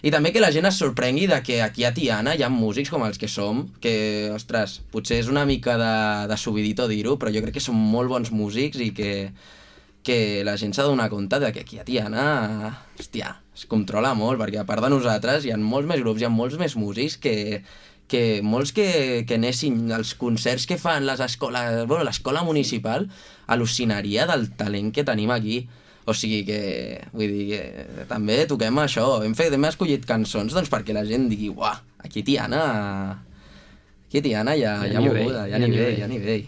I també que la gent es sorprengui de que aquí a Tiana hi ha músics com els que som, que, ostres, potser és una mica de subidito dir-ho, però jo crec que són molt bons músics i que la gent s'ha de donar compte de que aquí a Tiana, hòstia, es controla molt, perquè a part de nosaltres hi ha molts més grups, hi ha molts més músics que molts que anessin als concerts que fan les escoles, bueno, l'escola municipal, al·lucinaria del talent que tenim aquí. O sigui que, vull dir, que també toquem això. Hem escollit cançons doncs, perquè la gent digui, uah, aquí a Tiana hi ha Hi ha nivell, moguda, hi ha hi ha nivell, nivell. hi ha nivell.